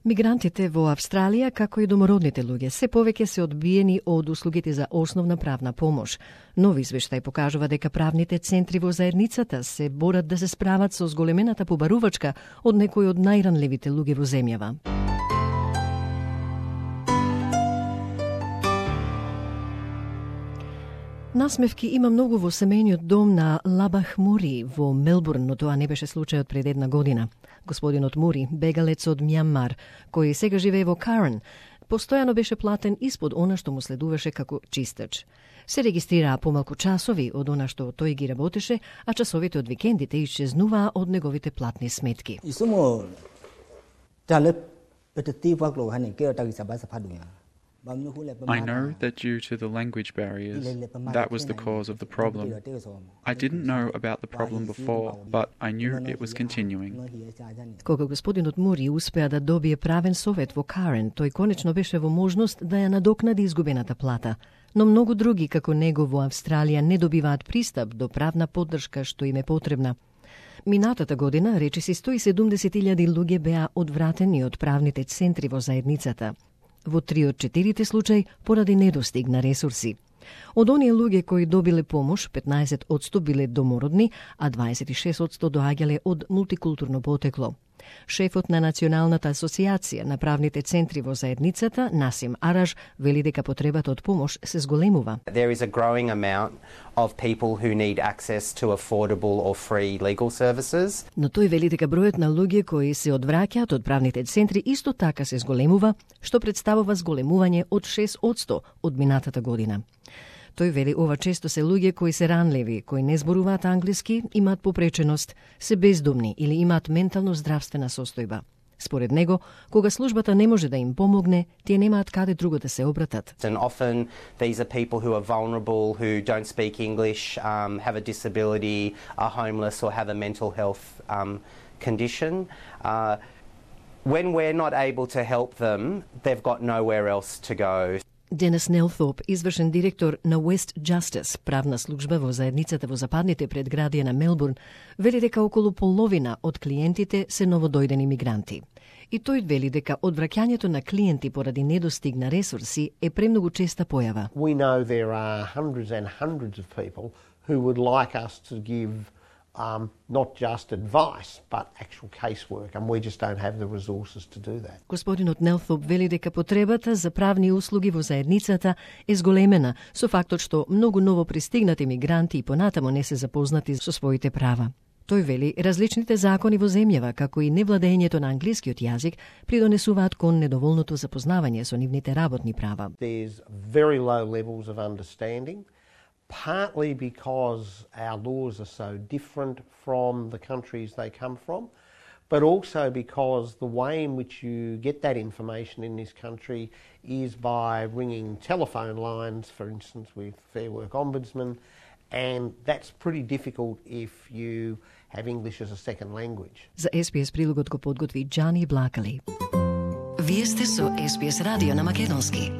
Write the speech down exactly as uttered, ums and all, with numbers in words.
Мигрантите во Австралија, како и домородните луѓе, се повеќе се одбиени од услугите за основна правна помош. Нови извештај покажува дека правните центри во заедницата се борат да се справат со зголемената побарувачка од некои од најранливите луѓе во земјава. Насмевки има многу во семејниот дом на Лабах Мури во Мелбурн, но тоа не беше случајот пред една година. Господинот Мури, бегалец од Мјанмар, кој сега живее во Карен, постојано беше платен испод она што му следуваше како чистач. Се регистрираа помалку часови од она што тој ги работеше, а часовите од викендите исчезнуваа од неговите платни сметки. I know that due to the language barriers, that was the cause of the problem. I didn't know about the problem before, but I knew it was continuing. Кога господинот Мури успеа да добие правен совет во Карен, тој конечно беше во можност да ја надокнади изгубената плата. Но многу други, како него во Австралија, не добиваат пристап до правна поддршка што им е потребна. Минатата година, речиси сто и седумдесет илјади луѓе беа одвратени од правните центри во заедницата. Во три од четирите случаи поради недостиг на ресурси. Од оние луѓе кои добиле помош, петнаесет одсто биле домородни, а дваесет и шест одсто доаѓале од мултикултурно потекло. Шефот на Националната асоциација на правните центри во заедницата, Насим Араж, вели дека потребата од помош се зголемува. There is a growing amount of people who need access to affordable or free legal services. Но тој вели дека бројот на луѓе кои се одвраќаат од правните центри исто така се зголемува, што представува зголемување од шест одсто од минатата година. Тој вели ова често се луѓе кои се ранливи, кои не зборуваат англиски, имаат попреченост, се бездомни или имаат ментално здравствена состојба. Според него, кога службата не може да им помогне, тие немаат каде друго да се обратат. And often these are people who are vulnerable, who don't speak English, um, have a disability, are homeless or have a mental health um, condition. Uh, when we're not able to help them, they've got nowhere else to go. Денес Нелтоп, извршен директор на West Justice, правна служба во заедницата во западните предградија на Мелбурн, вели дека околу половина од клиентите се новодојдени мигранти. И тој вели дека одвраќањето на клиенти поради недостиг на ресурси е премногу честа појава. We know there are hundreds and hundreds of people who would like us to give Um, not just advice, but actual casework, and we just don't have the resources to do that. Господинот Нелтоп вели дека потребата за правни услуги во заедницата е зголемена со фактот што многу ново пристигнати мигранти и понатамо не се запознати со своите права. Тој вели различните закони во земјава, како и невладењето на англискиот јазик, придонесуваат кон недоволното запознавање со нивните работни права. There's very low levels of understanding. Partly because our laws are so different from the countries they come from, but also because the way in which you get that information in this country is by ringing telephone lines, for instance, with Fair Work Ombudsman, and that's pretty difficult if you have English as a second language. За Ес Би Ес прилогот го подготви Джани Блакали. Вие сте со Ес Би Ес радио на македонски.